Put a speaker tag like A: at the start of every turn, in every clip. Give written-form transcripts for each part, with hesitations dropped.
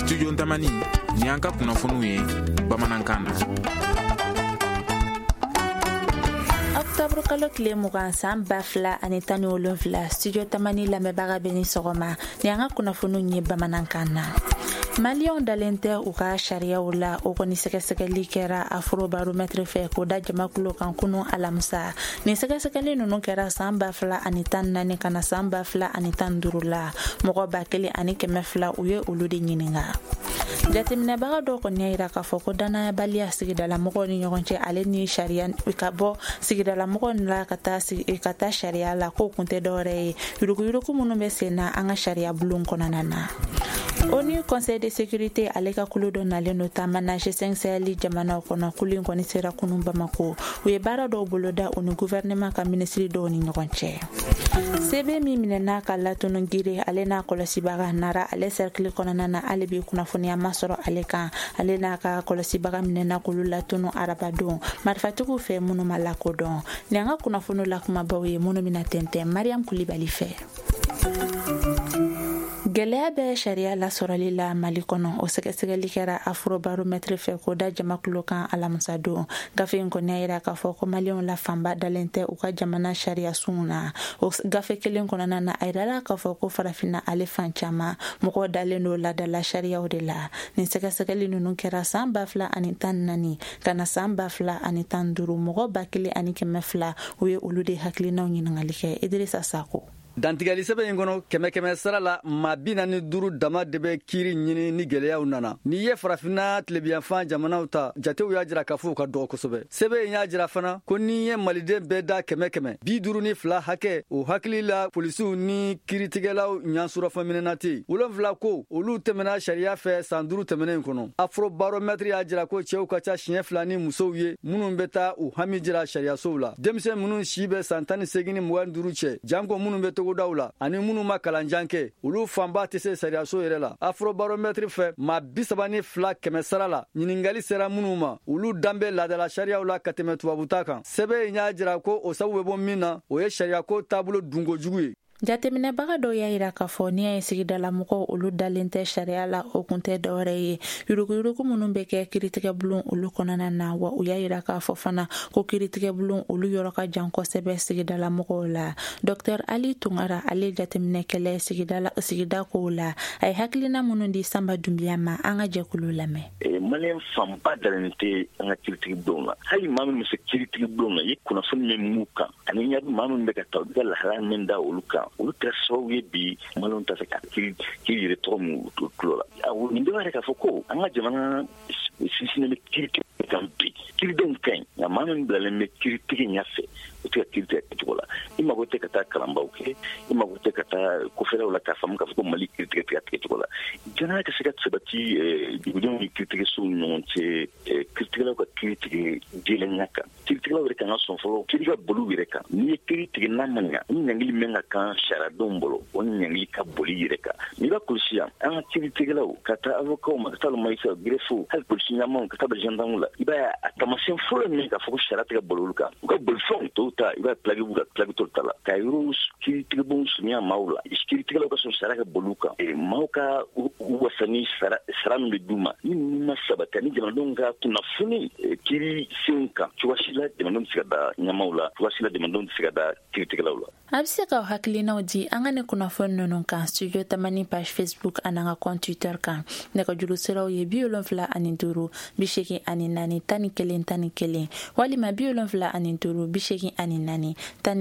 A: Studio Tamani, ni an ka kunnafoniw ye bamanankan na.
B: Octobre kalo tile 20 san 2017, Studio Tamani lamɛnbaga bɛ ni sɔgɔma, ni an ka kunnafoniw ye bamanankan na. Maliyɛnw dalen tɛ u ka sariyaw la, o kɔni sɛgɛsɛgɛli kɛra Afrobaromètre fɛ k'o da jamakulu kan kunu alamisa. Nin sɛgɛsɛgɛli ninnu kɛra san 2014 ka na san 2015 la. Mɔgɔ 1200, u ye olu de ɲininka. Jateminɛbaga dɔw kɔni y'a yira k'a fɔ ko danayabaliya sigidalamɔgɔw ni ɲɔgɔn cɛ, ale ni sariya ka bɔ sigidalamɔgɔw la ka taa sariya la, k'o kun tɛ dɔwɛrɛ ye yuruguyurugu minnu bɛ sen na an ka sariya bulon kɔnɔna na. ONU Conseil de sécurité ale ka kulu dɔ nalen do taama na G5 Sahel jamanaw kɔnɔ. Kulu in kɔni sera kunu Bamako. U ye baara dɔw boloda u ni gouvernement ka minisiri dɔw ni ɲɔgɔn cɛ. Sebe min minɛna ka latunu Gire, ale n'a kɔlɔsibaga, Nara ale cercle kɔnɔna na, hali bi kunnafoniya ma sɔrɔ ale kan. Ale n'a ka kɔlɔsibaga minɛna k'olu latunu arabadon marifatigiw fɛ minnu ma lakodɔn. Ni an ka kunnafoniw la kumabaw ye minnu bɛna tɛntɛn Mariam Kulibali fɛ. Gɛlɛya bɛ sariya lasɔrɔli la Mali kɔnɔ, o sɛgɛsɛgɛli kɛra Afrobaromètre fɛ k'o da jamakulu kan alamisa don. Gafe in kɔni y'a yira k'a fɔ ko maliyɛnw la fanba dalen tɛ u ka jamana sariya sunw na. O gafe kelen kɔnɔna na, a yirala k'a fɔ ko Farafinna ale fan caman, mɔgɔw dalen don laadala sariyaw de la. Nin sɛgɛsɛgɛli ninnu kɛra san 2014 ka na san 2015. Mɔgɔ 1200, u ye olu de hakilinaw ɲininkali kɛ. Idrissa Sako.
C: Dantigɛli sɛbɛn in kɔnɔ, kɛmɛ kɛmɛ sara la, maa 45 dama de bɛ kiiri ɲini ni gwɛlɛyaw nana. N'i ye Farafinna tilebiyanfan jamanaw ta, jatew y'a jira k'a fɔ u ka dɔgɔ kosɛbɛ. Sɛbɛn in y'a jira fana ko n'i ye maliden bɛɛ da kɛmɛ kɛmɛ, 52 hakɛ o hakili la polisiw ni kiiritigɛlaw ɲasurɔfɛnminɛna tɛ yen. 7 ko olu tɛmɛna sariya fɛ san 5 tɛmɛnen kɔnɔ. Afrobaromètre y'a jira ko cɛw ka ca siɲɛ fila ni musow ye minnu bɛ taa u hami jira sariyasow la. Denmisɛn minnu si bɛ san 18 ni 25 cɛ, janko minnu bɛ togodaw la ani minnu ma kalanjan kɛ, olu fanba tɛ se sariyaso yɛrɛ la. Afrobaromètre fɛ, maa 32 kɛmɛ sara la, ɲiningali sera minnu ma, olu dan bɛ laadala sariyaw la ka tɛmɛ tubabuta kan. Sɛbɛn in y'a jira ko o sababu bɛ bɔ min na, o ye sariyako taabolo dunkojugu ye.
B: Jateminɛbaga dɔw y'a yira k'a fɔ n'i y'a ye sigidalamɔgɔw olu dalen tɛ sariya la, o kun tɛ dɔwɛrɛ ye yuruguyurugu minnu bɛ kɛ kiiritigɛ bulon olu kɔnɔna na. Wa u y'a yira k'a fɔ fana ko kiiritigɛ bulon olu yɔrɔ ka jan kosɛbɛ sigidalamɔgɔw la. Dr Ali Tunkara, ale jateminɛkɛlɛ sigida kow la, a ye hakilina minnu di Sanba Dunbiya ma, an ka jɛkulu lamɛn.
D: Maliyɛn fanba dalen tɛ an ka kiiritigi bulon na. Hali maa min bɛ se kiiritigi bulon na, i ye kunnafoni min m'u kan ani ɲa maa min bɛ ka ta, u bɛ ka lahalaya min da olu kan, olu kɛra sababu ye bi maliyɛnw tɛ se ka kiiri kiiri yɛrɛ tɔgɔ min u tulo la. Nin bɛɛ b'a yira k'a fɔ ko an ka jamana sinsinnen bɛ kiiri kan bi. Kiiridenw ka ɲi, nka maa min bilalen bɛ kiiritigi ɲɛfɛ, o tɛ ka kiiri tigɛ kɛcogo la. I mago tɛ ka taa kalanbaw kɛ, i mago tɛ ka taa kɔfɛlaw la k'a faamu k'a fɔ ko Mali kiiri tigɛ tigɛ tigɛcogo la. Danaya ka se ka sabati dugudenw ni kiiritigɛsow ni ɲɔgɔn cɛ, kiiritigɛlaw ka kiiri tigɛ jɛlenya kan, kiiritigɛlaw yɛrɛ kan ka sɔn fɔlɔ kiiri ka boli u yɛrɛ kan. N'i ye kiiri tigɛ n'a ma ɲa, ni ɲangili min ka kan sariyadenw bolo, o ɲangili ka boli yɛrɛ kan. N'i b'a kɔlɔsi yan, an ka kiiritigɛlaw ka taa avocats ma, ka taa magistrat, greffe, hali polisi ɲɛmaw, ka taa bila gendarme la, i b'a ye a taamasiyɛn fɔlɔ min k'a fɔ ko sariya tɛ ka boli olu kan, u ka bolifɛnw tɔw ta, i b'a plaque b'u la, plaque t'olu ta la. Ka yɔrɔw kiiritigɛbonw surunya maaw la, kiiritigɛlaw ka sɔn sariya ka boli u kan, maaw ka u wasa ni sara min bɛ d'u ma, ni ninnu ma sabati ani jamanadenw ka kunnafoni kiiri senw kan, cogoya si la jamanadenw tɛ se ka da ɲɛmaaw la, cogoya si la jamanadenw tɛ se ka da kiiritigɛlaw la.
B: A bɛ se k'aw hakilinaw di an ka ni kunnafoni ninnu kan Studio Tamani page Facebook ani an ka compte Twitter kan. Nɛgɛjuru siraw ye 75 84 11 11 walima 75 84 12 12.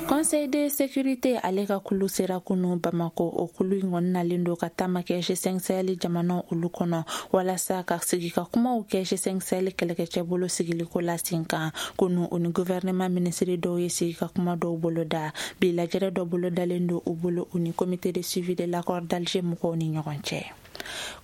B: Conseil de sécurité ale ka kulu sera kunu Bamako. O kulu in kɔni nalen don ka taama kɛ G5 Sahel jamanaw olu kɔnɔ walasa ka sigi ka kumaw kɛ G5 Sahel kɛlɛkɛcɛ bolo sigiliko la sen kan. Kunu, u ni gouvernement minisiri dɔw ye sigi ka kuma dɔw boloda. Bi, lajɛrɛ dɔ bolodalen don u bolo, u ni comité de suivi de l'accord d'Alger mɔgɔw ni ɲɔgɔn cɛ.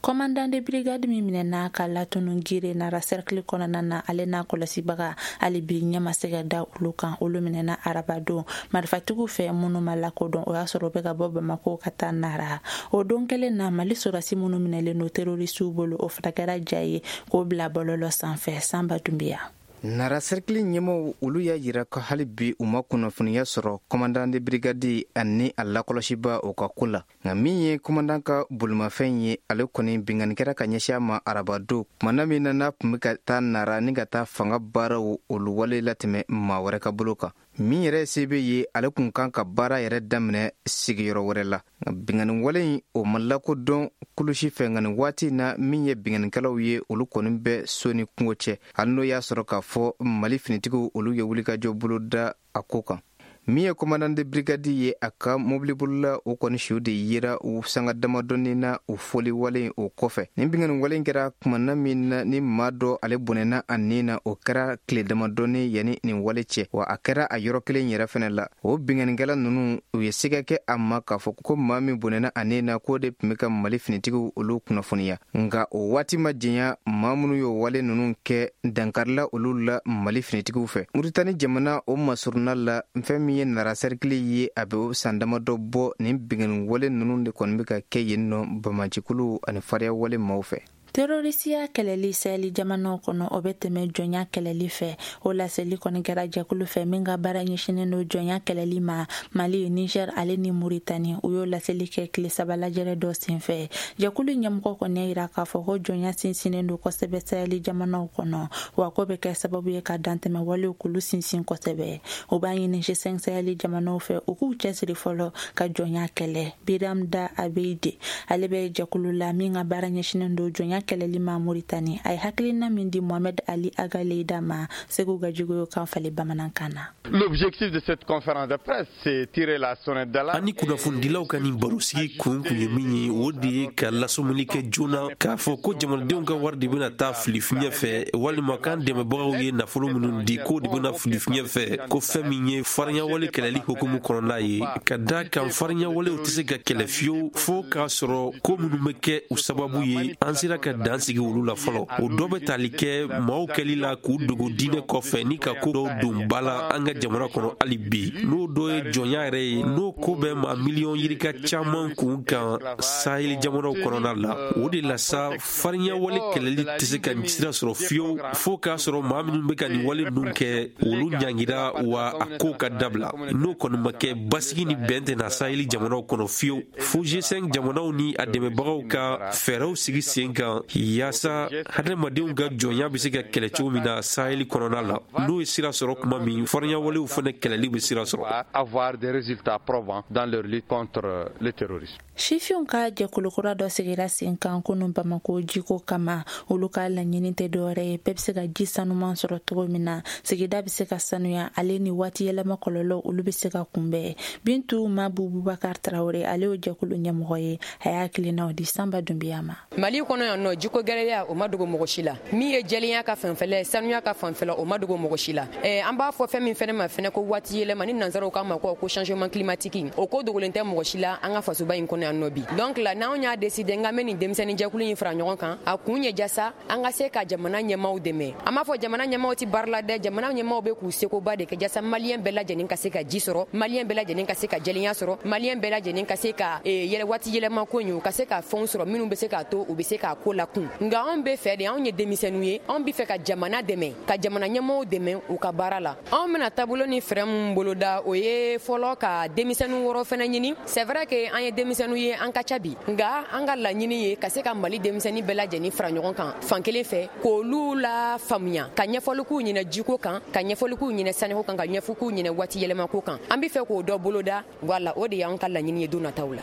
B: Commandant de brigade min minɛna ka latunu Gire, Nara cercle kɔnɔna na, ale n'a kɔlɔsibaga, hali bi ɲɛ ma se ka da olu kan. Olu minɛna arabadon marifatigiw fɛ minnu ma lakodɔn. O y'a sɔrɔ u bɛ ka bɔ Bamako ka taa Nara. O don kelen na, Mali sɔrɔdasi minnu minɛlen don terroristew bolo, o fana kɛra ja ye k'o bila bɔlɔlɔ sanfɛ. Sanba Dunbiya.
E: Nara sɛrikili ɲɛmɔgɔw olu y'a jira ko hali bi u ma kunnafoniya sɔrɔ commandant de brigade ani a lakɔlɔsiba o ka ko la. Nka min ye commandant ka bolimafɛn ye, ale kɔni binkanni kɛra ka ɲɛsin a ma arabadon kumana min na n'a tun bɛ ka taa Nara ni ka taa fanga baaraw olu wale latɛmɛ maa wɛrɛ ka bolo kan. Min yɛrɛ ye sebe ye, ale kun kan ka baara yɛrɛ daminɛ sigiyɔrɔ wɛrɛ la. Nka binkanni wale in o ma lakodɔn kulusi fɛ. Nka nin waati na, min ye binkannikɛlaw ye, olu kɔni bɛ so ni kungo cɛ, hali n'o y'a sɔrɔ k'a fɔ Mali finitigiw olu ye wulikajɔ boloda a ko kan. Min ye commandant de brigade ye, a ka mobilibolila o kɔni su de yera u sanga damadɔni na o fɔli wale o kɔfɛ. Nin binkanni wale kɛra kumana min na ni maa dɔ ale bɔnɛna a nin na, o kɛra tile damadɔni yanni nin wale cɛ, wa a kɛra a yɔrɔ kelen yɛrɛ fɛnɛ la. O binkannikɛla ninnu, u ye siga kɛ a ma k'a fɔ ko maa min bɔnɛna a nin na, k'o de tun bɛ ka Mali finitigiw olu kunnafoniya. Nka o waati ma janya, maa minnu y'o wale ninnu kɛ, dankarila olu la Mali finitigiw fɛ. Muritani jamana o masurunna la, fɛn min ye Nara sɛrikili ye, a bɛ san damadɔ bɔ nin binkanni wale ninnu de kɔni bɛ ka kɛ yen nɔ banbaancikuluw ani fariya wale maaw fɛ.
B: Terorisiya kɛlɛli Sahel jamanaw kɔnɔ, o bɛ tɛmɛ jɔnya kɛlɛli fɛ. O laseli kɔni kɛra jɛkulu fɛ min ka baara ɲɛsinnen don jɔnya kɛlɛli ma Mali, Niger ale ni Muritani. U y'o laseli kɛ tile 3 lajɛrɛ dɔ senfɛ. Jɛkulu ɲɛmɔgɔ kɔni y'a yira k'a fɔ ko jɔnya sinsinnen don kosɛbɛ Sahel jamanaw kɔnɔ, wa ko bɛ kɛ sababu ye ka dantɛmɛ walew k'olu sinsin kosɛbɛ. U b'a ɲini G5 Sahel jamanaw fɛ, u k'u cɛsiri fɔlɔ ka jɔnya kɛlɛ. Biram Da Abeid, ale bɛ jɛkulu la min ka baara ɲɛsinnen don jɔnya kɛlɛli ma Muritani. A ye hakilina min di Mohamed Ali Agaleida ma, Segu Gajigo kan falen bamanankan na.
F: L'objectif de cette conférence de presse, c'est tirer la sonnette d'alarme.
G: Ani kunnafonidilaw ka nin barosigi kun kun ye min ye, o de ye ka lasɔmuli kɛ joona k'a fɔ ko jamanadenw ka wari de bɛna taa fili fiɲɛ fɛ, walima k'an dɛmɛbagaw ye nafolo minnu di, k'o de bɛna fili fiɲɛ fɛ, ko fɛn min ye farinyawale kɛlɛli hukumu kɔnɔna ye, ka da kan farinyawalew tɛ se ka kɛlɛ fiyewu fo k'a sɔrɔ ko minnu bɛ kɛ u sababu ye, an sera ka dan sigi olu la fɔlɔ. O dɔ bɛ tali kɛ maaw kɛli la k'u dogo diinɛ kɔfɛ ni ka ko dɔw don ba la an ka jamana kɔnɔ hali bi, n'o dɔ ye jɔnya yɛrɛ ye, n'o ko bɛ maa miliyɔn yirika caman kun kan Sahel jamanaw kɔnɔna la. O de la sa, farinyawale kɛlɛli tɛ se ka sira sɔrɔ fiyewu fo k'a sɔrɔ maa minnu bɛ ka nin wale ninnu kɛ, olu ɲangira, wa a ko ka dabila. N'o kɔni ma kɛ, basigi ni bɛn tɛ na Sahel jamanaw kɔnɔ fiyewu, fo G5 jamanaw ni a dɛmɛbagaw ka fɛɛrɛw sigi sen kan yaasa hadamadenw ka jɔnya bɛ se ka kɛlɛ cogo min na Sahel kɔnɔna la. N'o ye sira sɔrɔ tuma min, farinyawalew fana kɛlɛli bɛ sira sɔrɔ.
F: Avoir des résultats probants dans leur lutte contre le terrorisme.
B: Sifinw ka jɛkulukura dɔ sigira sen kan kunun Bamako jiko kama. Olu ka laɲini tɛ dɔwɛrɛ ye, bɛɛ bɛ se ka ji sanuman sɔrɔ cogo min na, sigida bɛ se ka sanuya, ale ni waati yɛlɛma kɔlɔlɔ olu bɛ se ka kunbɛn. Bintu Mabu Bubakar Tarawele, ale y'o jɛkulu ɲɛmɔgɔ ye. A y'a hakilinaw di Sanba Dunbiya ma.
H: Mali kɔnɔ yan nɔ, jiko gɛlɛya o ma dogo mɔgɔ si la. Min ye jɛlenya ka fanfɛla ye, sanuya ka fanfɛla, o ma dogo mɔgɔ si la. An b'a fɔ fɛn min fɛnɛ ma fɛnɛ ko waati yɛlɛma, ni nansaraw k'a ma ko changement climatique, o ko dogolen tɛ mɔgɔ si la an ka fasoba in kɔnɔ yan nɔ bi. Donc la, n'anw y'a décidé n ka bɛ nin denmisɛnnin jɛkulu in fara ɲɔgɔn kan, a kun ye jasa an ka se ka jamana ɲɛmaw dɛmɛ. An b'a fɔ jamana ɲɛmaw ti baara la dɛ, jamana ɲɛmaw bɛ k'u sekoba de kɛ jasa Maliyɛn bɛɛ lajɛlen ka se ka ji sɔrɔ, Maliyɛn bɛɛ lajɛlen ka se ka jɛlenya sɔrɔ, Maliyɛn bɛɛ lajɛlen ka se ka yɛlɛ waati yɛlɛma ko ɲɛ, u ka se ka fɛnw sɔrɔ minnu bɛ se k'a to u bɛ se k'a ko lakun. Nka anw bɛ fɛ de, anw ye denmisɛnninw ye, anw bɛ fɛ ka jamana dɛmɛ, ka jamana ɲɛmɔgɔw dɛmɛ u ka baara la. Anw bɛna taabolo ni fɛɛrɛ min boloda, o ye fɔlɔ ka denmisɛnnin wɔrɔ fɛnɛ ɲini. C'est vrai que an ye denmisɛnninw ye, an ka ca bi, nka an ka laɲini ye ka se ka Mali denmisɛnnin bɛɛ lajɛlen fara ɲɔgɔn kan fan kelen fɛ, k'olu la faamuya, ka ɲɛfɔli k'u ɲɛna jiko kan, ka ɲɛfɔli k'u ɲɛna saniko kan, ka ɲɛfɔ k'u ɲɛna waati yɛlɛmako kan. An bɛ fɛ k'o dɔ boloda. Voilà, o de y'an ka laɲini ye don nataw la.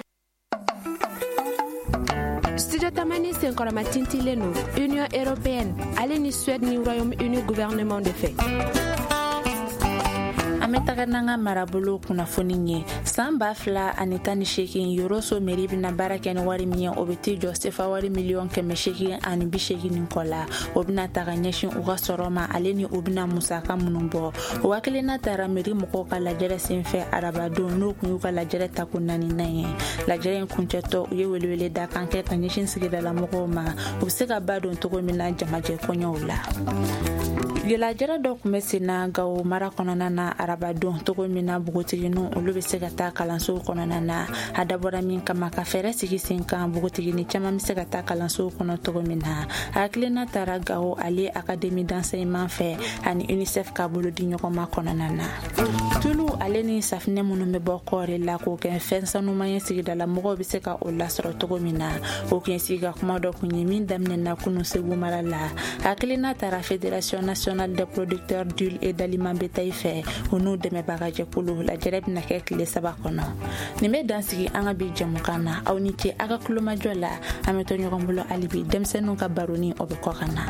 I: Studio Tamani senkɔrɔma tintilen don Union européenne ale ni Suède ni Royaume-Uni gouvernement de fɛ.
B: An bɛ taga n'an ka marabolo kunnafoni ye. San 2018, Yoroso mairie bɛna baara kɛ ni wari min ye, o bɛ t'i jɔ sefa wari miliyɔn 880 ni kɔ la. O bɛna ta ka ɲɛsin u ka sɔrɔ ma, ale ni u bɛna musaka minnu bɔ. O hakilina tara mairie mɔgɔw ka lajɛrɛ senfɛ arabadon, n'o kun y'u ka lajɛrɛ tako naaninan ye. Lajɛrɛ in kuncɛtɔ, u ye welewele da kan kɛ ka ɲɛsin sigidala mɔgɔw ma, u bɛ se ka ba don cogo min na jamajɛ kɔɲɔw la. Lajɛrɛ dɔ tun bɛ sen na Gawo mara kɔnɔna na araba. arabadon cogo min na npogotigininw olu bɛ se ka taa kalansow kɔnɔna na. A dabɔra min kama, ka fɛɛrɛ sigi sen kan npogotigini caman bɛ se ka taa kalansow kɔnɔ cogo min na. A hakilina tara Gawo ale Académie d'enseignement fɛ ani UNICEF ka bolo di ɲɔgɔn ma kɔnɔna na. Tulu ale ni safinɛ minnu bɛ bɔ kɔɔri la k'o kɛ fɛn sanuman ye, sigidala mɔgɔw bɛ se ka o lasɔrɔ cogo min na, o kun ye sigi ka kuma dɔ kun ye min daminɛna kunu Segu mara la. Hakilina tara Fédération nationale des producteurs d'huile et d'aliments bétail fɛ, u n'u dɛmɛbagajɛkulu. Lajɛrɛ bɛna kɛ tile 3 kɔnɔ. Nin bɛ dan sigi an ka bi jɛmukan na. Aw ni ce aw ka kulomajɔ la. An bɛ to ɲɔgɔn bolo hali bi. Denmisɛnninw ka baroni, o bɛ kɔ ka na.